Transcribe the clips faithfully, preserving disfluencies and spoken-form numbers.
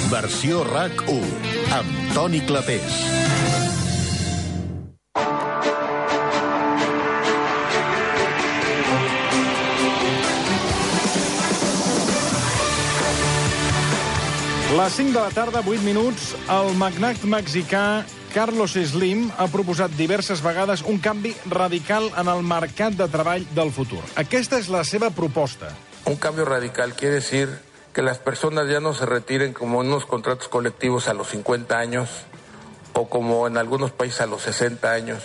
Versió RAC u, amb Toni Clapés. Les cinc de la tarda, vuit minuts, el magnat mexicà Carlos Slim ha proposat diverses vegades un canvi radical en el mercat de treball del futur. Aquesta és la seva proposta. Un cambio radical quiere decir que las personas ya no se retiren como en unos contratos colectivos a los cincuenta años o como en algunos países a los sesenta años.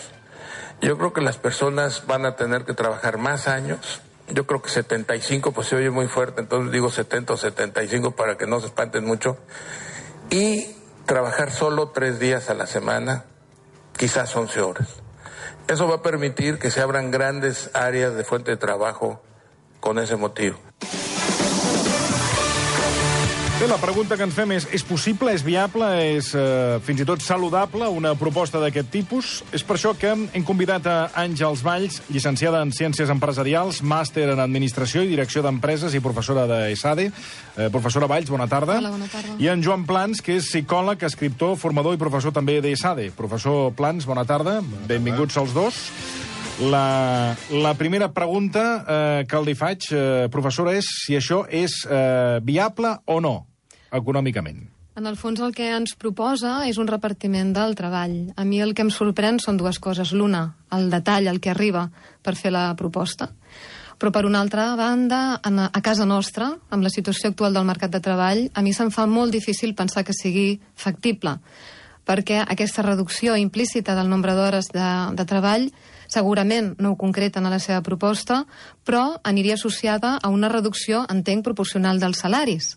Yo creo que las personas van a tener que trabajar más años. Yo creo que setenta y cinco, pues se oye muy fuerte, entonces digo setenta o setenta y cinco para que no se espanten mucho. Y trabajar solo tres días a la semana, quizás once horas. Eso va a permitir que se abran grandes áreas de fuente de trabajo con ese motivo. Bé, la pregunta que ens fem és, és possible, és viable, és eh, fins i tot saludable una proposta d'aquest tipus? És per això que hem convidat a Àngels Valls, llicenciada en Ciències Empresarials, màster en Administració i Direcció d'Empreses i professora de ESADE. Eh, professora Valls, bona tarda. Hola, bona tarda. I en Joan Plans, que és psicòleg, escriptor, formador i professor també d'ESADE. Professor Plans, bona tarda. Benvinguts els dos. La, la primera pregunta eh, que li faig, eh, professora, és si això és eh, viable o no, econòmicament. En el fons el que ens proposa és un repartiment del treball. A mi el que em sorprèn són dues coses. L'una, el detall, el que arriba per fer la proposta. Però per una altra banda, a casa nostra, amb la situació actual del mercat de treball, a mi se'm fa molt difícil pensar que sigui factible, perquè aquesta reducció implícita del nombre d'hores de, de treball segurament no ho concreten a la seva proposta, però aniria associada a una reducció, entenc, proporcional dels salaris.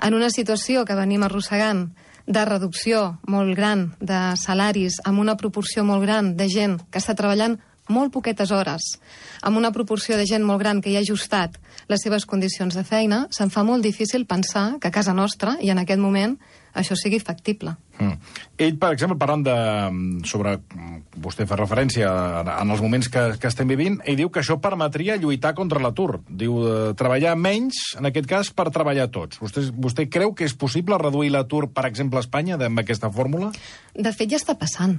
En una situació que venim arrossegant de reducció molt gran de salaris, amb una proporció molt gran de gent que està treballant molt poquetes hores, amb una proporció de gent molt gran que hi ha ajustat les seves condicions de feina, se'm fa molt difícil pensar que a casa nostra, i en aquest moment, això sigui factible. Mm. Ell, per exemple, parlant de... sobre... vostè fa referència en els moments que, que estem vivint, ell diu que això permetria lluitar contra l'atur. Diu, eh, treballar menys, en aquest cas, per treballar tots. Vostè, vostè creu que és possible reduir l'atur, per exemple, a Espanya, amb aquesta fórmula? De fet, ja està passant.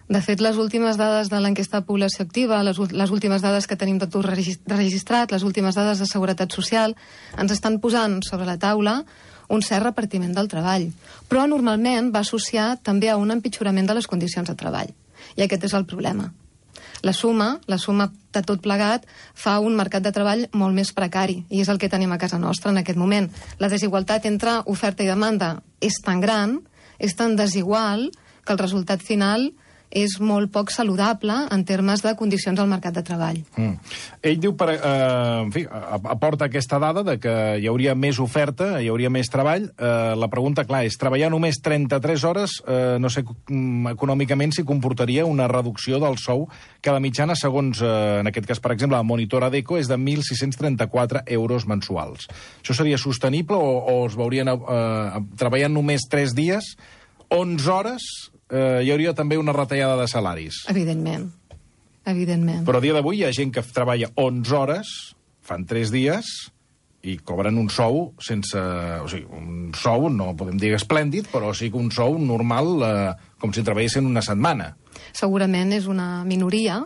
De fet, les últimes dades de l'enquesta de població activa, les, les últimes dades que tenim d'atur registrat, les últimes dades de seguretat social, ens estan posant sobre la taula un cert repartiment del treball. Però normalment va associar també a un empitjorament de les condicions de treball. I aquest és el problema. La suma, la suma de tot plegat, fa un mercat de treball molt més precari, i és el que tenim a casa nostra en aquest moment. La desigualtat entre oferta i demanda és tan gran, és tan desigual, que el resultat final és molt poc saludable en termes de condicions al mercat de treball. Mm. Ell diu, per, eh, en fi, aporta aquesta dada de que hi hauria més oferta, hi hauria més treball. Eh, la pregunta, clar, és treballar només trenta-tres hores, eh, no sé econòmicament si comportaria una reducció del sou, que la mitjana, segons, eh, en aquest cas, per exemple, la Monitor Adecco, és de mil sis-cents trenta-quatre euros mensuals. Això seria sostenible o, o es veurien eh, treballant només tres dies, onze hores... Eh, hi hauria també una retallada de salaris. Evidentment. Evidentment. Però a dia d'avui hi ha gent que treballa onze hores, fan tres dies, i cobren un sou sense... O sigui, un sou, no podem dir esplèndid, però sí que un sou normal, eh, com si treballessin una setmana. Segurament és una minoria,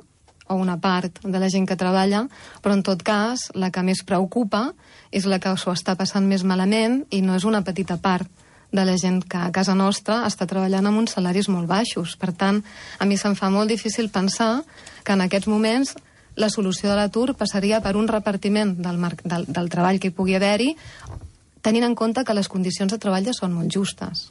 o una part de la gent que treballa, però en tot cas, la que més preocupa és la que s'ho està passant més malament, i no és una petita part de la gent que a casa nostra està treballant amb uns salaris molt baixos. Per tant, a mi se'm fa molt difícil pensar que en aquests moments la solució de l'atur passaria per un repartiment del, del, del treball que hi pugui haver-hi, tenint en compte que les condicions de treball ja són molt justes.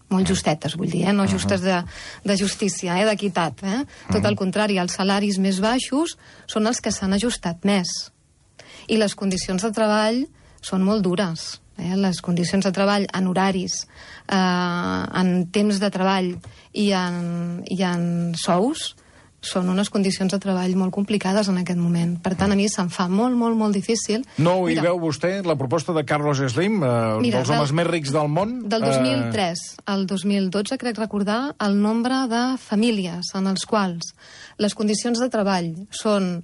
Molt justetes, vull dir, eh? No justes de, de justícia, eh? D'equitat. Eh? Tot el contrari, els salaris més baixos són els que s'han ajustat més. I les condicions de treball són molt dures. Eh, les condicions de treball en horaris, eh, en temps de treball i en, i en sous són unes condicions de treball molt complicades en aquest moment. Per tant, a mi se'm fa molt, molt, molt difícil... No ho hi veu vostè, la proposta de Carlos Slim, eh, mira, dels homes del, més rics del món? Del dos mil tres eh... al dos mil dotze, crec recordar, el nombre de famílies en els quals les condicions de treball són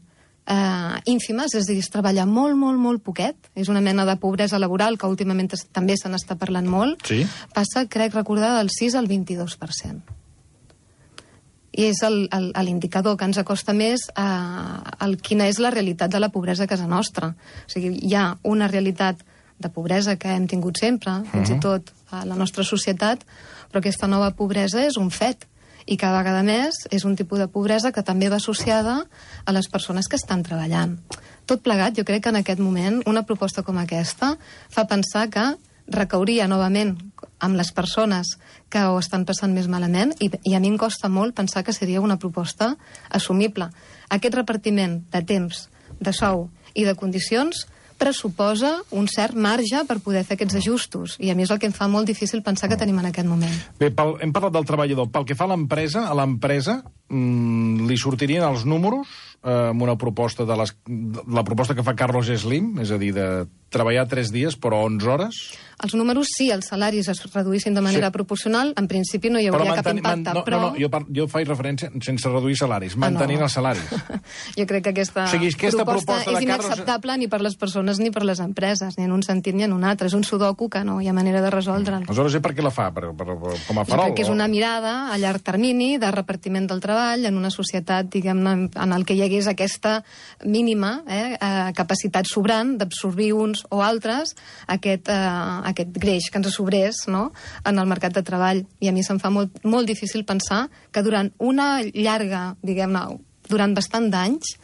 eh, ínfimes, és a dir, es treballa molt, molt, molt poquet. És una mena de pobresa laboral que últimament també se n'està parlant molt. Sí. Passa, crec recordar, del sis al vint-i-dos per cent. I és l'indicador que ens acosta més a, a quina és la realitat de la pobresa a casa nostra. O sigui, hi ha una realitat de pobresa que hem tingut sempre, fins uh-huh. i tot a la nostra societat, però aquesta nova pobresa és un fet. I cada vegada més és un tipus de pobresa que també va associada a les persones que estan treballant. Tot plegat, jo crec que en aquest moment una proposta com aquesta fa pensar que recauria novament amb les persones que ho estan passant més malament i, i a mi em costa molt pensar que seria una proposta assumible. Aquest repartiment de temps, de sou i de condicions pressuposa un cert marge per poder fer aquests ajustos. I a mi és el que em fa molt difícil pensar que tenim en aquest moment. Bé, pel, hem parlat del treballador. Pel que fa a l'empresa, a l'empresa mmm, li sortirien els números eh, amb una proposta de les, la proposta que fa Carlos Slim, és a dir, de treballar tres dies però onze hores? Els números, sí, els salaris es reduïssin de manera sí. proporcional, en principi no hi hauria cap impacte, man, no, però... No, no, jo, par, jo faig referència sense reduir salaris, mantenint ah, no. els salaris. Jo crec que aquesta, o sigui, aquesta proposta, proposta és inacceptable Carlos... ni per les persones ni per les empreses, ni en un sentit ni en un altre. És un sudoku que no hi ha manera de resoldre'l. Aleshores, per què la fa? Per, per, per, com a farol? Jo crec que és una mirada a llarg termini de repartiment del treball en una societat, diguem-ne, en el que hi hagués aquesta mínima eh, capacitat sobrant d'absorbir uns o altres aquest, eh, aquest greix que ens sobrés, no?, en el mercat de treball. I a mi se'm fa molt, molt difícil pensar que durant una llarga, diguem-ne, durant bastant d'anys,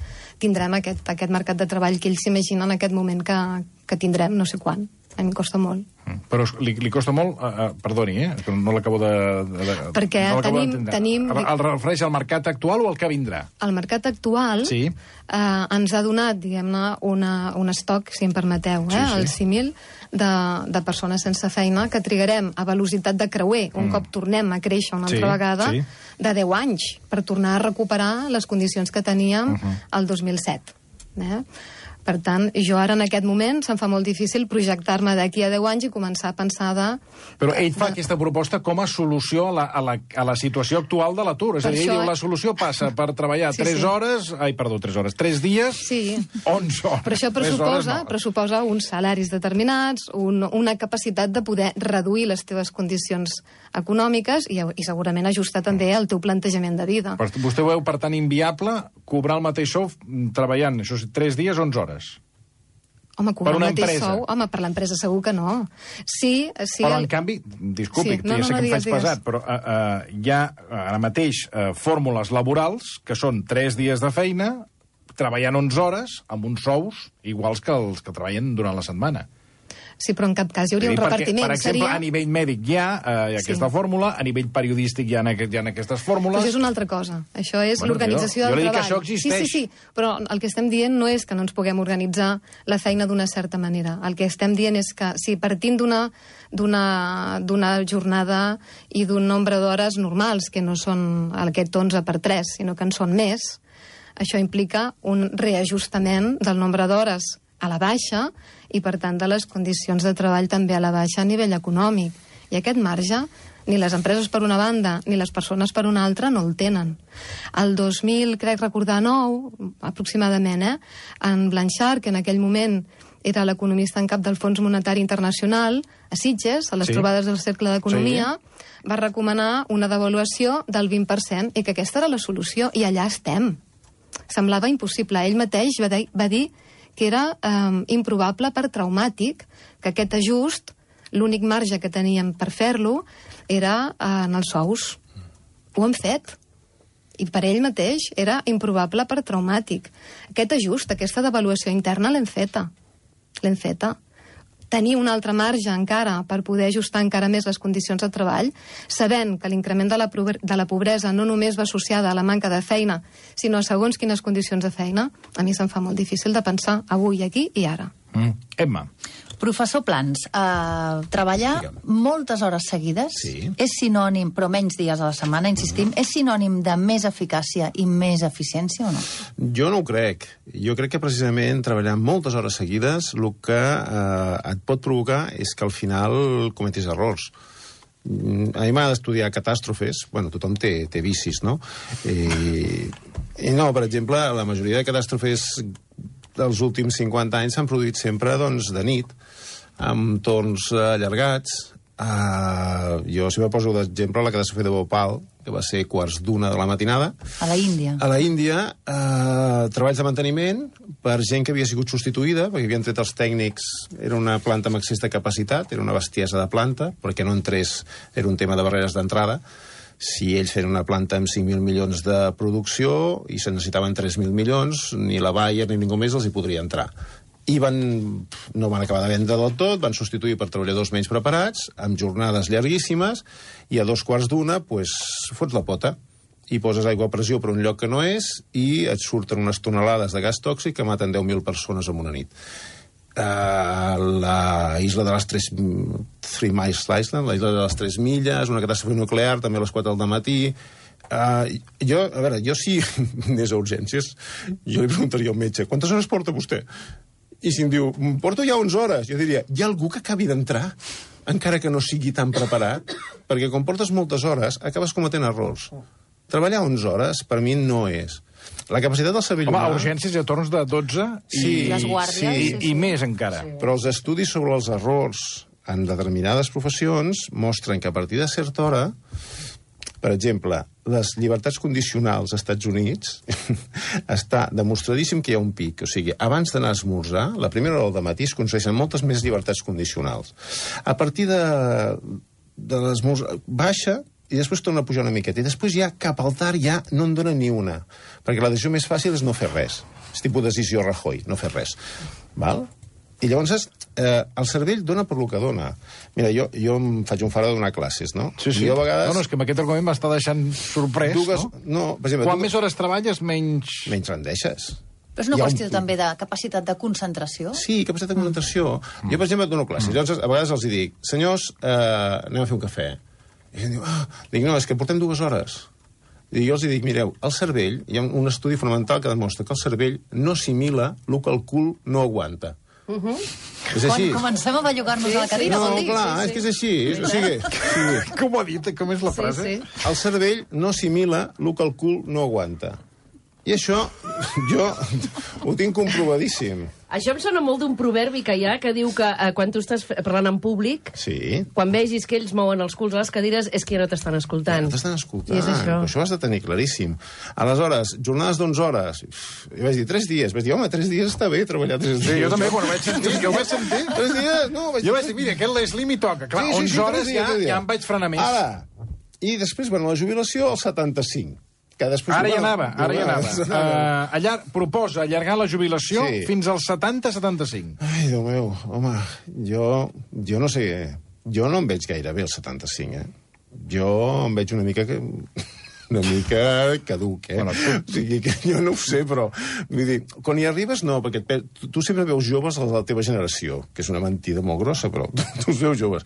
tindrem aquest, aquest mercat de treball que ells s'imaginen en aquest moment que, que tindrem, no sé quan. A mi em costa molt. Però li, li costa molt, uh, uh, perdoni, eh, que no l'acabo de, de, de... Perquè no tenim... tenim... El, el refereix al mercat actual o al que vindrà? El mercat actual sí. eh, ens ha donat, diguem-ne, un estoc, si em permeteu, eh, sí, sí. el símil, de, de persones sense feina que trigarem a velocitat de creuer, un mm. cop tornem a créixer una altra sí, vegada, sí. de deu anys, per tornar a recuperar les condicions que teníem uh-huh. el dos mil set. Eh? Per tant, jo ara en aquest moment se'm fa molt difícil projectar-me d'aquí a deu anys i començar a pensar de... Però ell fa aquesta proposta com a solució a la, a la, a la situació actual de l'atur. És a dir, ell diu, la solució passa per treballar sí, tres sí. hores... Ai, perdó, tres hores. Tres dies, sí. onze hores. Però això pressuposa, no. pressuposa uns salaris determinats, un, una capacitat de poder reduir les teves condicions econòmiques i, i segurament ajustar també el teu plantejament de vida. Però vostè ho veu, per tant, inviable cobrar el mateix sou treballant, això sí, tres dies, onze hores. Home, cobrar el mateix sou? Home, per l'empresa segur que no. Sí, sí, però, el... en canvi, disculpi, sí, no, ja sé no, no, que em faig digues. pesat, però uh, uh, hi ha ara mateix uh, fórmules laborals que són tres dies de feina, treballant onze hores, amb uns sous iguals que els que treballen durant la setmana. Sí, però en cap cas hi hauria un repartiment. Per exemple, seria... a nivell mèdic hi ha eh, aquesta sí. fórmula, a nivell periodístic hi ha, hi ha aquestes fórmules... Però això és una altra cosa. Això és bueno, l'organització del treball. Jo li dic que això existeix. Sí, sí, sí, però el que estem dient no és que no ens puguem organitzar la feina d'una certa manera. El que estem dient és que si partint d'una d'una jornada i d'un nombre d'hores normals, que no són aquest onze per tres, sinó que en són més, això implica un reajustament del nombre d'hores a la baixa i, per tant, de les condicions de treball també a la baixa a nivell econòmic. I aquest marge, ni les empreses per una banda ni les persones per una altra no el tenen. El dos mil, crec recordar, nou, aproximadament, eh, en Blanchard, que en aquell moment era l'economista en cap del Fons Monetari Internacional, a Sitges, a les sí. trobades del Cercle d'Economia, sí. va recomanar una devaluació del vint per cent i que aquesta era la solució, i allà estem. Semblava impossible. Ell mateix va dir, va dir que era eh, improbable per traumàtic, que aquest ajust, l'únic marge que teníem per fer-lo, era eh, en els sous. Ho hem fet. I per ell mateix era improbable per traumàtic. Aquest ajust, aquesta devaluació interna l'hem feta. L'hem feta. Tenir un altre marge encara per poder ajustar encara més les condicions de treball, sabent que l'increment de, la de la pobresa no només va associada a la manca de feina, sinó a segons quines condicions de feina, a mi se'm fa molt difícil de pensar avui, aquí i ara. Mm. Emma. Professor Plans, eh, treballar Digue'm. moltes hores seguides sí. és sinònim, però menys dies a la setmana, insistim, mm. és sinònim de més eficàcia i més eficiència o no? Jo no ho crec. Jo crec que precisament treballar moltes hores seguides el que eh, et pot provocar és que al final cometis errors. a mi m'ha d'estudiar catàstrofes, bueno, tothom té, té vicis, no? I, I no, per exemple, la majoria de catàstrofes dels últims cinquanta anys s'han produït sempre, doncs, de nit, amb torns allargats. Uh, jo sempre poso d'exemple la catàstrofe de Bhopal, que va ser quarts d'una de la matinada. A la Índia. A la Índia, uh, treballs de manteniment per gent que havia sigut substituïda, perquè havien tret els tècnics, era una planta amb excés de capacitat, era una bestiesa de planta, perquè no entrés, era un tema de barreres d'entrada. Si ells feien una planta amb cinc mil milions de producció i se necessitaven tres mil milions, ni la Bayer ni ningú més els hi podria entrar. I van, no van acabar de vendre del tot, van substituir per treballadors menys preparats, amb jornades llarguíssimes, i a dos quarts d'una, pues, fots la pota i poses aigua a pressió per un lloc que no és i et surten unes tonelades de gas tòxic que maten deu mil persones en una nit. Uh, la isla de les tres... Three Miles Island, la isla de les tres milles, una catàstrofe nuclear, també a les quatre del matí... Uh, jo, a veure, jo si anés a urgències, jo li preguntaria al metge, quantes hores porta vostè? I si em diu, porto ja onze hores, jo diria, hi ha algú que acabi d'entrar, encara que no sigui tan preparat? Perquè quan portes moltes hores, acabes cometent errors. Treballar onze hores, per mi, no és. La capacitat del cervell humà... Home, a urgències hi ha torns de dotze i, sí, les guàrdies, i, sí, sí. i més encara. Sí. Però els estudis sobre els errors en determinades professions mostren que a partir de certa hora, per exemple, les llibertats condicionals als Estats Units està demostradíssim que hi ha un pic. O sigui, abans d'anar a esmorzar, la primera hora del matí es concedeixen moltes més llibertats condicionals. A partir de, de l'esmorzar baixa i després torna a pujar una miqueta. I després ja cap al tard ja no en dona ni una. Perquè la decisió més fàcil és no fer res. És tipus decisió Rajoy, no fer res. Val? I llavors eh, el cervell dona per lo que dona. Mira, jo, jo em faig un fara de donar classes, no? Sí, sí. Jo a vegades... No, no, és que amb aquest argument m'està deixant sorprès, dues, no? no per exemple, Quan dues... més hores treballes, menys... Menys rendeixes. Però és una Hi ha qüestió un... també de capacitat de concentració? Sí, capacitat de concentració. Mm. Jo, per exemple, dono classes. Mm. Llavors, a vegades els dic, senyors, eh, anem a fer un cafè. I em diu, ah, dic, no, és que portem dues hores. I jo els dic, mireu, el cervell, hi ha un estudi fonamental que demostra que el cervell no assimila el que el cul no aguanta. Uh -huh. És així. Quan comencem a bellugar-nos sí, a la cadira, no, vol dir? clar, Sí, sí. és que és així. És, o sigui, sí. Com ho ha dit? Com és la frase? Sí, sí. El cervell no assimila el que el cul no aguanta. I això, jo ho tinc comprovadíssim. Això em sona molt d'un proverbi que hi ha, que diu que eh, quan tu estàs parlant en públic, Sí. quan vegis que ells mouen els culs a les cadires, és que ja no t'estan escoltant. No t'estan escoltant. I és això. Això ho has de tenir claríssim. Aleshores, jornades d'onze hores. I vaig dir, tres dies. Vaig dir, home, tres dies està bé treballar tres dies. Sí, jo també, quan ho vaig sentir, jo ho vaig sentir. Tres dies? No, vaig Jo vaig dir, mira, aquest l'Slim hi toca. Clar, Sí, sí, onze sí, hores tres dies, ja, tres dies. ja em vaig frenar més. Ara, i després, bueno, la jubilació, al setanta-cinc. Que després, Ara hi bueno, anava, ara hi anava. Uh, allar, proposa allargar la jubilació Sí. fins als setanta setanta-cinc. Ai, Déu meu, home, jo, jo no sé, jo no em veig gaire bé el setanta-cinc, eh? Jo em veig una mica que... una mica caduc, eh? Bueno, o sigui, que jo no ho sé, però... Vull dir, quan hi arribes, no, perquè et, tu, tu sempre veus joves a la teva generació, que és una mentida molt grossa, però tu, tu els veus joves.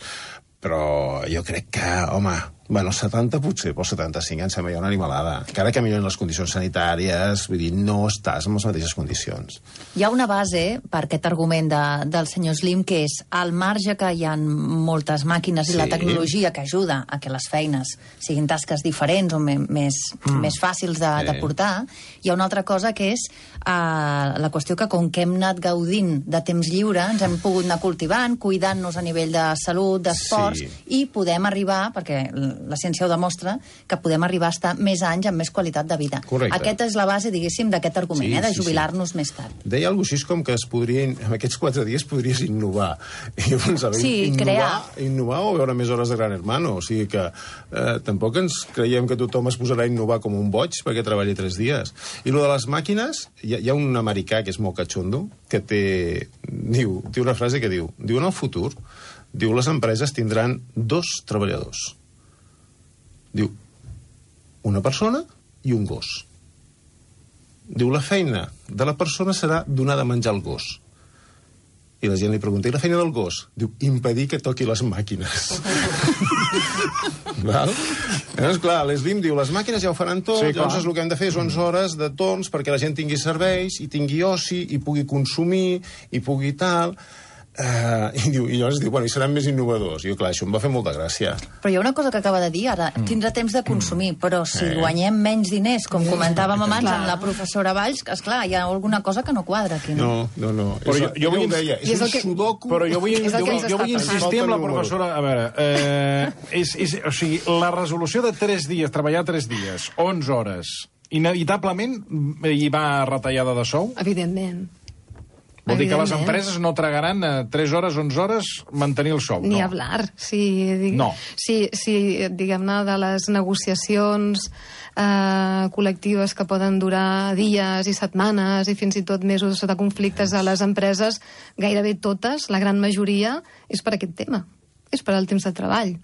Però jo crec que, home, bueno, setanta potser, però setanta-cinc em sembla ja una animalada. Encara que milloren les condicions sanitàries, vull dir, no estàs en les mateixes condicions. Hi ha una base per aquest argument de, del senyor Slim, que és al marge que hi ha moltes màquines i Sí. la tecnologia que ajuda a que les feines siguin tasques diferents o me, més, mm. més fàcils de, Sí. de portar, hi ha una altra cosa que és uh, la qüestió que com que hem anat gaudint de temps lliure, ens hem pogut anar cultivant, cuidant-nos a nivell de salut, d'esports, Sí. i podem arribar, perquè la ciència ho demostra, que podem arribar a estar més anys amb més qualitat de vida. Correcte. Aquesta és la base, diguéssim, d'aquest argument, Sí, eh, de sí, sí. jubilar-nos més tard. Deia alguna cosa així com que es podrien, en aquests quatre dies podries innovar. I llavors, a veure, Sí, innovar, crear. innovar o veure més hores de Gran Hermano. O sigui que eh, tampoc ens creiem que tothom es posarà a innovar com un boig perquè treballi tres dies. I lo de les màquines, hi ha, hi ha un americà que és molt catxondo, que té, diu, té una frase que diu, diu, en el futur, diu, les empreses tindran dos treballadors. Diu, una persona i un gos. Diu, la feina de la persona serà donar de menjar al gos. I la gent li pregunta, i la feina del gos? Diu, impedir que toqui les màquines. Val? Llavors, clar, l'Slim diu, les màquines ja ho faran tot, Sí, llavors clar. el que hem de fer és onze hores de torns perquè la gent tingui serveis, i tingui oci, i pugui consumir, i pugui tal... Uh, i, diu, I llavors diu, bueno, i seran més innovadors. I jo, clar, això em va fer molta gràcia. Però hi ha una cosa que acaba de dir, ara tindrà temps de consumir, però si Eh. guanyem menys diners, com comentàvem abans Clar. amb la professora Valls, que, esclar, hi ha alguna cosa que no quadra aquí, no? No, no, no. Però és, jo- jo ella vull- ho deia, I és és un el que- sudoku... Però jo vull, És el jo, que vull- ens jo està vull insistir passant. amb la Falta el professora... A veure, eh, és, és, o sigui, la resolució de tres dies, treballar tres dies, onze hores, inevitablement hi va retallada de sou? Evidentment. Vol dir que les Evidentment. empreses no tragaran a tres hores, onze hores mantenir el sou, Ni no? hablar. Si, dig... No. si, si diguem-ne, de les negociacions eh, col·lectives que poden durar dies i setmanes i fins i tot mesos de conflictes a les empreses, gairebé totes, la gran majoria, és per aquest tema. És per al temps de treball.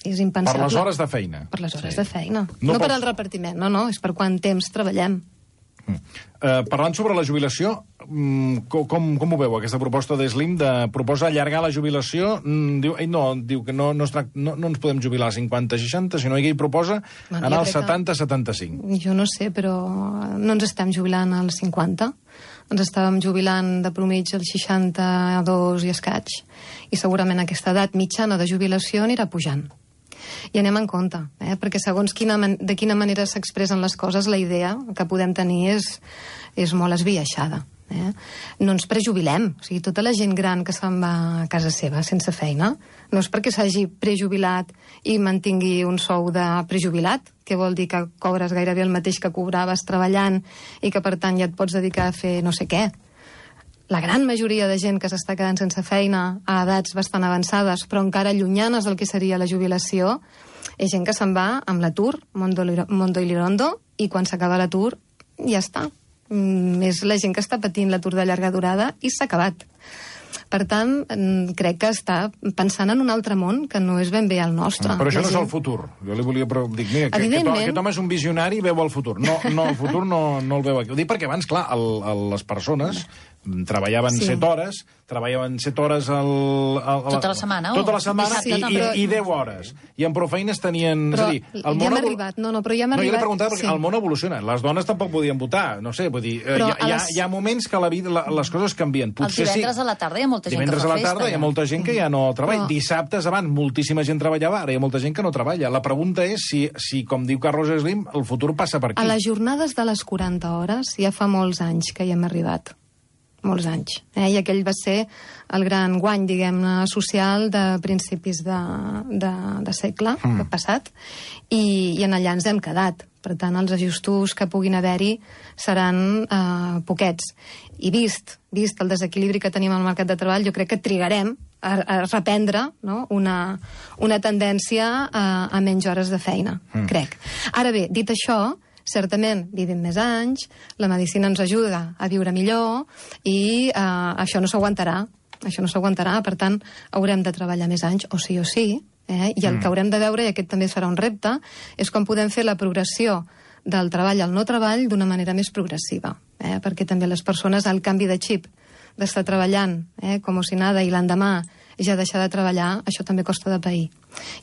És Per impensable. les hores de feina. Per les hores sí. de feina. No No, no per pels- al repartiment, no, no, és per quant temps treballem. Eh, parlant sobre la jubilació, mm, com, com, com ho veu, aquesta proposta d'Slim de proposa allargar la jubilació? Mm, diu, ell no, diu que no, no, es trac- no, no ens podem jubilar a cinquanta seixanta, sinó que ell proposa Bueno, anar jo als crec que- setanta setanta-cinc. Jo no sé, però no ens estem jubilant als cinquanta. Ens estàvem jubilant de promig als seixanta-dos i escaig. I segurament aquesta edat mitjana de jubilació anirà pujant. I anem en compte, eh? perquè segons quina man de quina manera s'expressen les coses, la idea que podem tenir és, és molt esbiaixada. Eh? No ens prejubilem. O sigui, tota la gent gran que se'n va a casa seva sense feina, no és perquè s'hagi prejubilat i mantingui un sou de prejubilat, que vol dir que cobres gairebé el mateix que cobraves treballant i que, per tant, ja et pots dedicar a fer no sé què. La gran majoria de gent que s'està quedant sense feina a edats bastant avançades, però encara llunyanes del que seria la jubilació, és gent que se'n va amb l'atur, Mondo, Mondo i Lirondo, i quan s'acaba l'atur, ja està. Mm, és la gent que està patint l'atur de llarga durada i s'ha acabat. Per tant, mm, crec que està pensant en un altre món que no és ben bé el nostre. Però això La no és gent- el futur. Jo li volia però dir, mira, que, que, Evidentment. aquest home és un visionari i veu el futur. No, no el futur no, no el veu aquí. Ho dic perquè abans, clar, el, el, les persones mm, treballaven Sí. set hores, treballaven set hores al, al, Tota la setmana, o tota la setmana dissabte i, també. i, i deu hores. I en prou feines tenien... Però és a dir, el ja món hem evol- arribat. No, no, però ja hem no, jo li arribat. preguntava perquè Sí. el món evoluciona. Les dones tampoc podien votar. No sé, vull dir, eh, Però hi, ha, a hi, ha, les- hi ha moments que la vida, la, les coses canvien. Els Potser divendres sí. a la tarda hi ha molta gent que Divendres fa a la festa, tarda hi ha ja. molta gent que ja no treballa. Però- Dissabtes abans moltíssima gent treballava, ara hi ha molta gent que no treballa. La pregunta és si, si com diu Carlos Slim, el futur passa per aquí. A les jornades de les quaranta hores ja fa molts anys que hi hem arribat. Molts anys. Eh? I aquell va ser el gran guany, diguem-ne, social de principis de, de, de segle mm. passat, i, i en allà ens hem quedat. Per tant, els ajustos que puguin haver-hi seran eh, poquets. I vist, vist el desequilibri que tenim al mercat de treball, jo crec que trigarem a, a reprendre, no? una, una tendència a, a menys hores de feina, mm. crec. Ara bé, dit això, certament vivim més anys, la medicina ens ajuda a viure millor i eh, això no s'aguantarà. Això no s'aguantarà, per tant, haurem de treballar més anys, o sí o sí, eh? I el Mm. que haurem de veure, i aquest també serà un repte, és com podem fer la progressió del treball al no treball d'una manera més progressiva, eh? Perquè també les persones, el canvi de xip, d'estar treballant eh, com si nada i l'endemà ja deixar de treballar, això també costa de pair.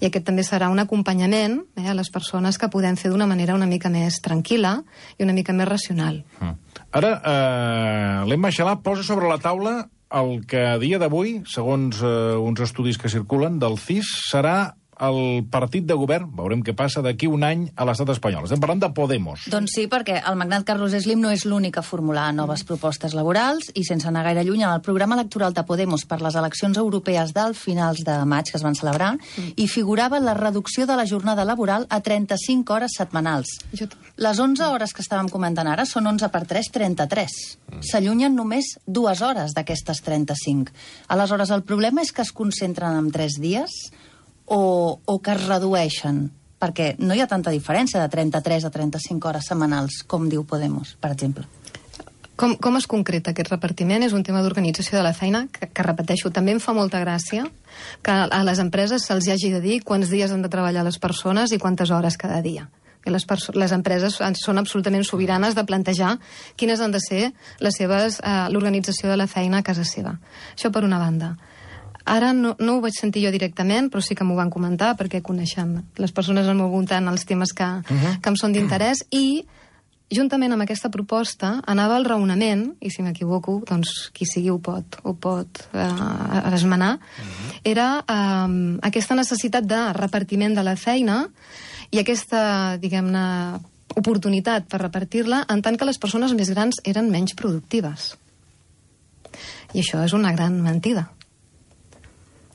I aquest també serà un acompanyament eh, a les persones que podem fer d'una manera una mica més tranquil·la i una mica més racional. Mm. Ara, eh, l'Emma Xalà posa sobre la taula el que a dia d'avui, segons eh, uns estudis que circulen del C I S, serà el partit de govern, veurem què passa, d'aquí un any a l'estat espanyol. Estem parlant de Podemos. Doncs sí, perquè el magnat Carlos Slim no és l'únic a formular noves propostes laborals i, sense anar gaire lluny, en el programa electoral de Podemos per les eleccions europees del finals de maig que es van celebrar, mm. hi figurava la reducció de la jornada laboral a trenta-cinc hores setmanals. Jo... Les onze hores que estàvem comentant ara són onze per tres, trenta-tres. Mm. S'allunyen només dues hores d'aquestes trenta-cinc. Aleshores, el problema és que es concentren en tres dies o, o que es redueixen, perquè no hi ha tanta diferència de trenta-tres a trenta-cinc hores setmanals, com diu Podemos, per exemple. Com, com es concreta aquest repartiment? És un tema d'organització de la feina, que, que repeteixo, també em fa molta gràcia que a les empreses se'ls hagi de dir quants dies han de treballar les persones i quantes hores cada dia. Que les, les empreses són absolutament sobiranes de plantejar quines han de ser les seves eh, l'organització de la feina a casa seva. Això per una banda. Ara no, no ho vaig sentir jo directament, però sí que m'ho van comentar, perquè coneixem les persones al meu voltant els temes que, uh-huh. que em són d'interès, i juntament amb aquesta proposta, anava el raonament, i si m'equivoco, doncs qui sigui ho pot, ho pot eh, esmenar, uh-huh. era eh, aquesta necessitat de repartiment de la feina i aquesta, diguem-ne, oportunitat per repartir-la en tant que les persones més grans eren menys productives. I això és una gran mentida.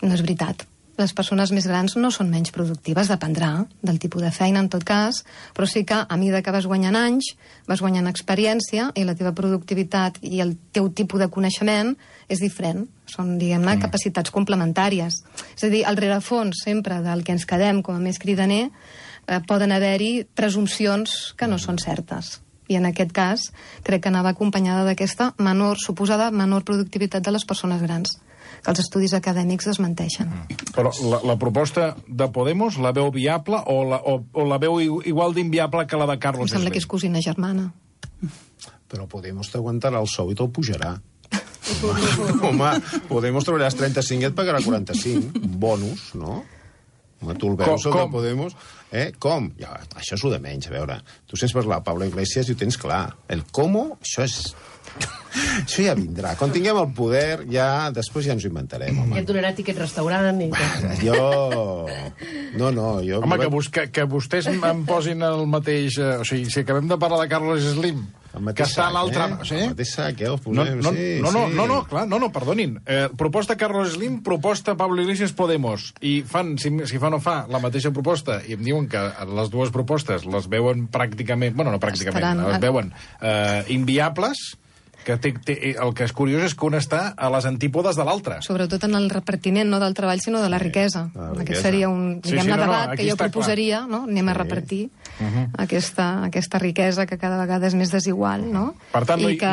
No és veritat. Les persones més grans no són menys productives, dependrà del tipus de feina, en tot cas, però sí que a mesura que vas guanyant anys, vas guanyant experiència i la teva productivitat i el teu tipus de coneixement és diferent. Són, diguem-ne, mm. capacitats complementàries. És a dir, al rerefons sempre del que ens quedem com a més cridaner eh, poden haver-hi presumpcions que no són certes. I en aquest cas crec que anava acompanyada d'aquesta menor, suposada menor productivitat de les persones grans, que els estudis acadèmics desmenteixen. Mm. Però la, la proposta de Podemos la veu viable o la, o, o la veu igual d'inviable que la de Carlos Slim? Em sembla que és cosina germana. Però Podemos t'aguantarà el sou i te'l pujarà. Home, Podemos treballaràs trenta-cinc i et pagarà quaranta-cinc. Bonus, no? Home, tu el veus, el de Podemos... Eh? Com? Ja, això és el de menys, a veure. Tu sents parlar Pablo Iglesias i ho tens clar. El com, això és... Això ja vindrà. Quan tinguem el poder, ja després ja ens ho inventarem, home. Ja et donarà tiquet restaurant i... Jo... No, no, jo... Home, que, bus que, que vostès em posin el mateix... Eh, o sigui, si acabem de parlar de Carlos Slim, que està a l'altre... Eh? Sí? El mateix sac, eh? Els No, posem, no, sí, no, no, sí. no, no, clar, no, no, perdonin. Eh, proposta Carlos Slim, proposta Pablo Iglesias, Podemos. I fan, si, si fa o no fa, la mateixa proposta, i em diuen que les dues propostes les veuen pràcticament... Bueno, no pràcticament, Estaran... les veuen eh, inviables... que té, té, el que és curiós és que un està a les antípodes de l'altre. Sobretot en el repartiment, no del treball, sinó de la riquesa. la riquesa. Aquest seria un, diguem-ne, Sí, sí, no, no, debat aquí que jo està proposaria, no? Anem a repartir Uh-huh. aquesta, aquesta riquesa que cada vegada és més desigual, no? Per tant, no I hi- que,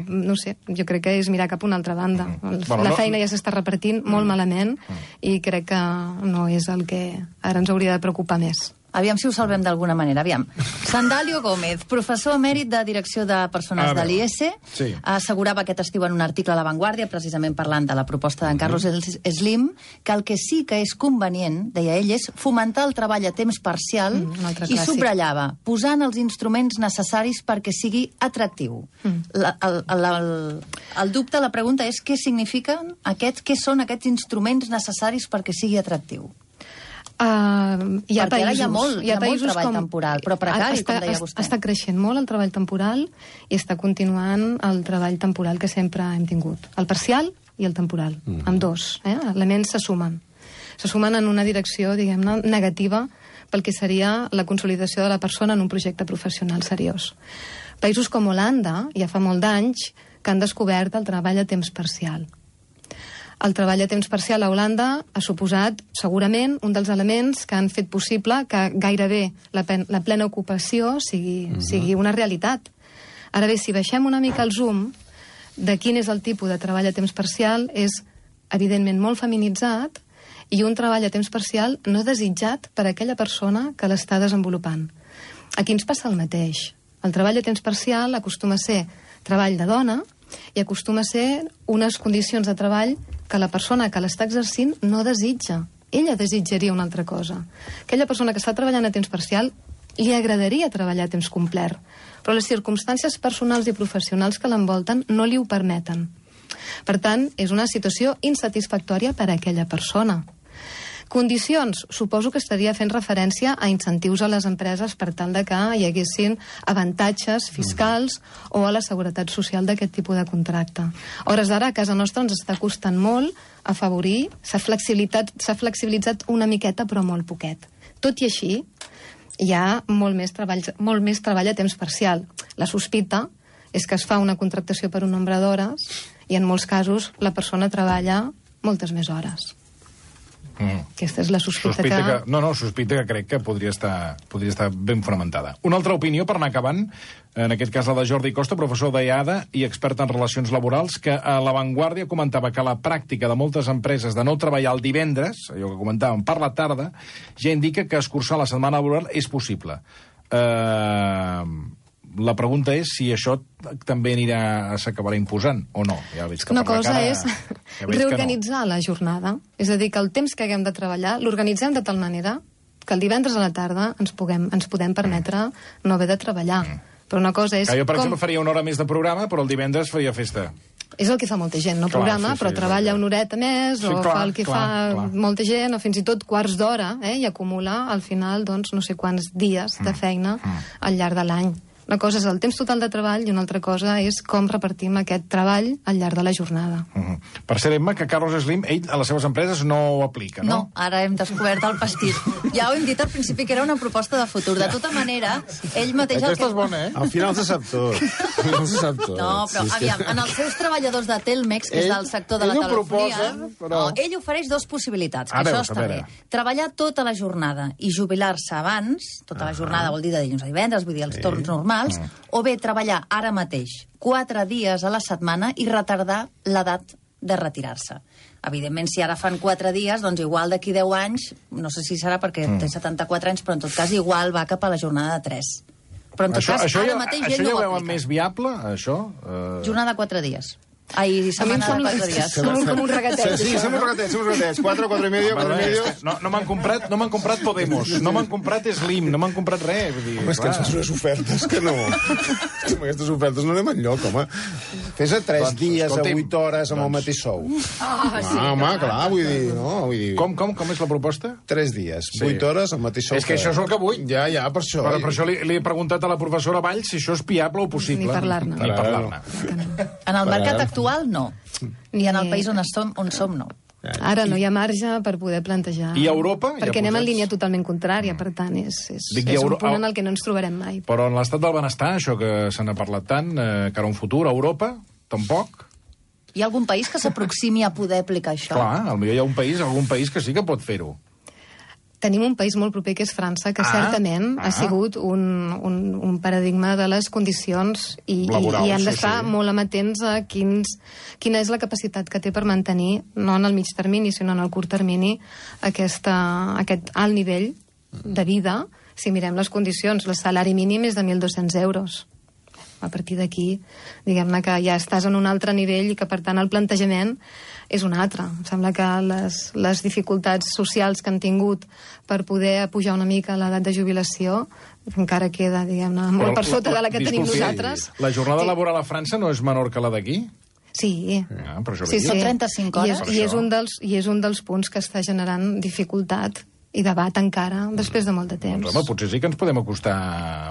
no sé, jo crec que és mirar cap a una altra banda. El- Bueno, la no- feina ja s'està repartint molt malament i crec que no és el que ara ens hauria de preocupar més. Aviam si ho salvem d'alguna manera. Aviam. Sandalio Gómez, professor emèrit de Direcció de Persones A de veure. l'I E S, Sí. assegurava aquest estiu en un article a La Vanguardia, precisament parlant de la proposta d'en Carlos Slim, que el que sí que és convenient, deia ell, és fomentar el treball a temps parcial Mm, un altre i clàssic. subratllava, posant els instruments necessaris perquè sigui atractiu. Mm. La, el, el, el, el dubte, la pregunta és què signifiquen aquests, què són aquests instruments necessaris perquè sigui atractiu? Uh, hi ha Perquè ara països, hi ha molt- hi ha molt països treball temporal, però precari, està, com deia es- vostè. Està creixent molt el treball temporal i està continuant el treball temporal que sempre hem tingut. El parcial i el temporal, mm. amb dos. Eh? Elements se sumen. Se sumen en una direcció, diguem-ne, negativa pel que seria la consolidació de la persona en un projecte professional seriós. Països com Holanda, ja fa molt d'anys, que han descobert el treball a temps parcial. El treball a temps parcial a Holanda ha suposat, segurament, un dels elements que han fet possible que gairebé la, pen, la plena ocupació sigui, uh-huh. sigui una realitat. Ara bé, si baixem una mica el zoom de quin és el tipus de treball a temps parcial, és evidentment molt feminitzat i un treball a temps parcial no desitjat per aquella persona que l'està desenvolupant. Aquí ens passa el mateix. El treball a temps parcial acostuma a ser treball de dona i acostuma a ser unes condicions de treball que la persona que l'està exercint no desitja. Ella desitjaria una altra cosa. Aquella persona que està treballant a temps parcial li agradaria treballar a temps complet, però les circumstàncies personals i professionals que l'envolten no li ho permeten. Per tant, és una situació insatisfactòria per a aquella persona. Condicions, suposo que estaria fent referència a incentius a les empreses per tal de que hi haguessin avantatges fiscals o a la seguretat social d'aquest tipus de contracte. A hores d'ara, a casa nostra ens està costant molt afavorir, s'ha flexibilitat, s'ha flexibilitzat una miqueta, però molt poquet. Tot i així, hi ha molt més treball, molt més treball a temps parcial. La sospita és que es fa una contractació per un nombre d'hores i en molts casos la persona treballa moltes més hores. Mm. Aquesta és la sospita, sospita que... que... No, no, sospita que crec que podria estar, podria estar ben fonamentada. Una altra opinió, per anar acabant, en aquest cas la de Jordi Costa, professor d'I A D A i expert en relacions laborals, que a La Vanguardia comentava que la pràctica de moltes empreses de no treballar el divendres, allò que comentàvem, per la tarda, ja indica que escurçar la setmana laboral és possible. Eh... La pregunta és si això també anirà, s'acabarà imposant o no. Ja veig que Una per la cosa cara, és ja veig reorganitzar no. la jornada. És a dir, que el temps que haguem de treballar l'organitzem de tal manera que el divendres a la tarda ens, puguem, ens podem permetre no haver de treballar. Mm. Però una cosa és... Que jo, per com... exemple, faria una hora més de programa, però el divendres faria festa. És el que fa molta gent, no Clar, programa, sí, sí, però treballa una horeta més, Sí, o clar, fa el que clar, fa clar. molta gent, o fins i tot quarts d'hora, eh, i acumula, al final, doncs, no sé quants dies de feina al llarg de l'any. Una cosa és el temps total de treball i una altra cosa és com repartim aquest treball al llarg de la jornada. Uh -huh. Per ser Emma, que Carlos Slim, ell a les seves empreses no ho aplica, no? No, ara hem descobert el pastís. Ja ho hem dit al principi que era una proposta de futur. De tota manera, ell mateix... Aquesta el és bona, eh? Al final se sap tot. Al final se sap tot. No, però, Sí, és que- aviam, en els seus treballadors de Telmex, que és Ell- del sector de la ell ho telefonia, proposa, però- no, ell ofereix dues possibilitats, que A això veus, a està bé. veure. Treballar tota la jornada i jubilar-se abans, tota la jornada vol dir de dilluns a divendres, vull dir els torns normals, o bé treballar ara mateix quatre dies a la setmana i retardar l'edat de retirar-se. Evidentment, si ara fan quatre dies, doncs igual d'aquí deu anys, no sé si serà perquè Mm. té setanta-quatre anys, però en tot cas igual va cap a la jornada de tres. Però en tot Això, cas, això, ara ja, mateix això ell no ja ho ho veuen aplica. més viable, això? Eh... Jornada de quatre dies. Ai, A mi em setmana de sembla quatre que dies. som com un regatet. Sí, som uns regatets, som uns regatets. Quatre, quatre i medio, quatre i medio. No, no m'han comprat, no m'han comprat Podemos, no m'han comprat Slim, no m'han comprat res. Vull dir, Home, és que ens clar. fas unes ofertes que no... Amb aquestes ofertes no anem enlloc, home. Fes-a tres Doncs, dies a escolti'm, vuit hores amb el mateix sou. Ah, sí. Ah, home, clar, vull dir, no? Vull dir... Com, com, com és la proposta? Tres dies, Sí. vuit hores al mateix sou. És que això és el que vull. Ja, ja, per això. Però per això li, li he preguntat a la professora Valls si això és viable o possible. Ni parlar-ne. Ni parlar-ne. En el mercat Ara. actual, no. I en el país on som, on som no. Ara no hi ha marge per poder plantejar... I a Europa? Ja Perquè anem en posats? línia totalment contrària, per tant, és, és, Dic, i és un Euro- punt en el que no ens trobarem mai. Però en l'estat del benestar, això que se n'ha parlat tant, eh, cara a un futur, a Europa, tampoc. Hi ha algun país que s'aproximi a poder aplicar això? Clar, potser hi ha un país, algun país que sí que pot fer-ho. Tenim un país molt proper, que és França, que Ah, certament ah. ha sigut un, un, un paradigma de les condicions i, Laborals, i, i hem sí, d'estar sí. molt amatents a quins, quina és la capacitat que té per mantenir, no en el mig termini, sinó en el curt termini, aquesta, aquest alt nivell de vida. Si mirem les condicions, el salari mínim és de mil dos-cents euros. A partir d'aquí, diguem-ne que ja estàs en un altre nivell i que, per tant, el plantejament és un altre. Em sembla que les, les dificultats socials que han tingut per poder pujar una mica l'edat de jubilació encara queda, diguem-ne, molt Però per sota de la que tenim disculpi, nosaltres. La jornada Sí. laboral a França no és menor que la d'aquí? Sí. Ah, per això Sí, li dic. Són trenta-cinc I hores. és, i, és un dels, I és un dels punts que està generant dificultat i debat encara després de molt de temps. Doncs, home, potser sí que ens podem acostar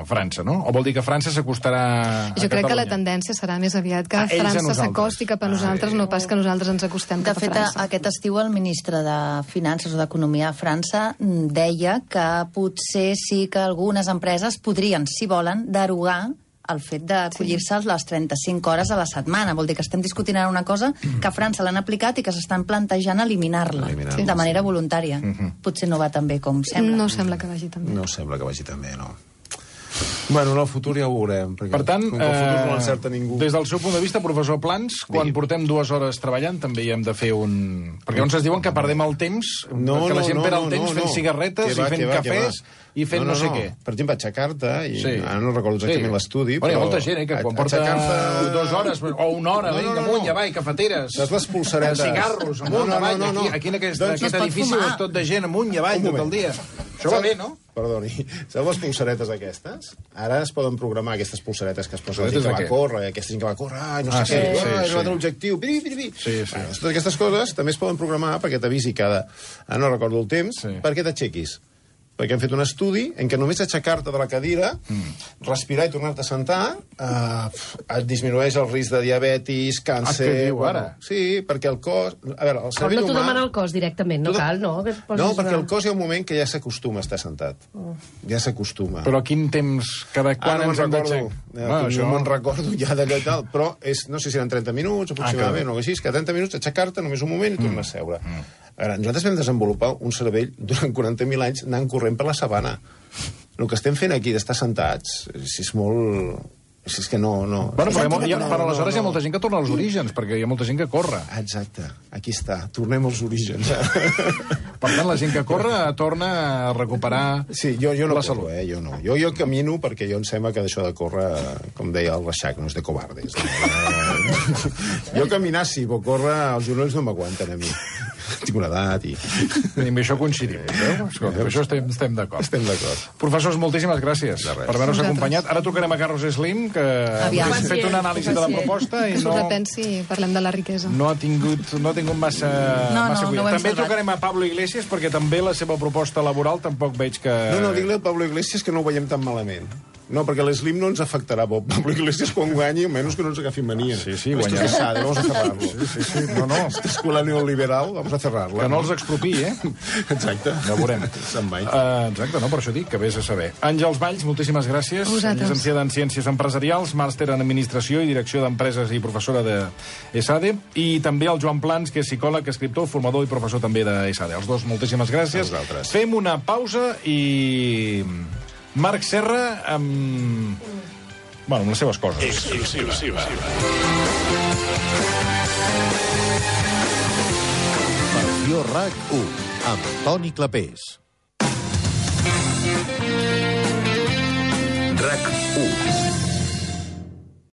a França, no? O vol dir que França s'acostarà a Jo crec que la Catalunya? tendència serà més aviat que A ells a França nosaltres. s'acosti cap a Ah, nosaltres, sí. no pas que nosaltres ens acostem De cap a fet, França. aquest estiu el ministre de Finances o d'Economia a França mm, deia que potser sí que algunes empreses podrien, si volen, derogar el fet d'acollir-se a les trenta-cinc hores a la setmana. Vol dir que estem discutint ara una cosa que a França l'han aplicat i que s'estan plantejant eliminar-la Eliminar-la, de manera voluntària. Potser no va tan bé com sembla. No sembla que vagi tan bé. No sembla que vagi tan bé, no. Bueno, en el futur ja ho veurem. Perquè Per tant, com que el futur no eh, l'encerta ningú. des del seu punt de vista, professor Plans, quan Digui. portem dues hores treballant també hi hem de fer un... Perquè llavors es diuen que perdem el temps, No, que la no, gent no, perd el no, temps no, fent no. cigarretes Que va, i fent que va, que cafès va. i fent no, no sé què. Per exemple, aixecar-te, i Sí. ara no recordo exactament Sí. l'estudi, Bueno, hi ha però... molta gent, eh, que quan porta aixecar-te- dues hores o una hora, No, no, vinga, no, amunt, no. ja va, i cafeteres. Saps les polseretes? Cigarros, amunt, No, no, avall, no, no, aquí, no. aquí en aquest, Doncs aquest no es pot edifici fumar. és tot de gent amunt i avall Un tot el moment. dia. Això va bé, no? Perdoni, saps les polseretes aquestes? Ara es poden programar aquestes polseretes que es posa la gent Polseretes que de va què? córrer, aquesta gent que va córrer, ai, no Ah, sé sí, què, sí, ah, he sí. arribat a l'objectiu, piri, piri, piri. Sí, sí. Bueno, totes aquestes coses també es poden programar perquè t'avisi cada... Ara no recordo el temps, Sí. perquè t'aixequis. Perquè hem fet un estudi en què només aixecar-te de la cadira, mm. respirar i tornar-te a sentar, eh, et disminueix el risc de diabetis, càncer... Ah, què diu, bueno, ara? Sí, perquè el cos... A veure, el Però cervell no t'ho humà... demana el cos directament, no Tu de- cal, no? Que et posis No, perquè una- el cos hi ha un moment que ja s'acostuma a estar sentat. Ja s'acostuma. Però quin temps, cada quan Ah, no ens me'n hem recordo. d'aixecar? Eh, Ah, no això... me'n recordo ja d'allò i tal, però és, no sé si eren trenta minuts aproximadament, Ah, o així, que trenta minuts aixecar-te només un moment i tornar a seure. A veure, nosaltres vam desenvolupar un cervell durant quaranta mil anys anant corrent per la sabana. El que estem fent aquí d'estar sentats, si és molt... Si és que no... no. Bueno, però, hi ha, No, mo- hi ha, no, però aleshores no, hi ha no. molta gent que torna als orígens, perquè hi ha molta gent que corre. Exacte, aquí està, tornem als orígens. Per tant, la gent que corre torna a recuperar Sí, jo, jo no la corro, salut. eh? Jo no. Jo, jo camino perquè jo em sembla que d'això de córrer, com deia el Reixac, no és de covardes. No? Jo caminar sí, però córrer els genolls no m'aguanten a mi. tinc una edat i... I amb això coincidim. Veu? Escolta, amb això estem, estem d'acord. Estem d'acord. Professors, moltíssimes gràcies De res. per haver-nos Vosaltres. acompanyat. Ara trucarem a Carlos Slim, que Aviam. ha fet una anàlisi de la Pacient. proposta i Que s'ho no, repensi i parlem de la riquesa. no, ha tingut, no ha tingut massa, No, massa no, cuidado. no ho hem També salvat. trucarem a Pablo Iglesias, perquè també la seva proposta laboral tampoc veig que... No, no, digue-li al Pablo Iglesias que no ho veiem tan malament. No, perquè l'Slim no ens afectarà. Bo. Pablo Iglesias, quan guanyi, almenys que no ens agafi mania. Sí, sí, Esto guanyarà. es pesado, vamos a cerrarlo. Sí, sí, sí. No, no. Esta escuela neoliberal, vamos a cerrarla. Que no els expropiï, eh? Exacte. Ja ho veurem. Se'n vaig. Uh, exacte, no? Per això dic que vés a saber. Àngels Valls, moltíssimes gràcies. A vosaltres. Llicenciada en Ciències Empresarials, màster en Administració i Direcció d'Empreses i professora de ESADE. I també el Joan Plans, que és psicòleg, escriptor, formador i professor també de ESADE. Els dos, moltíssimes gràcies. A vosaltres. Fem una pausa i... Marc Serra amb... Bueno, amb les seves coses. Exclusiva. Versió RAC u, amb Toni Clapés. RAC u.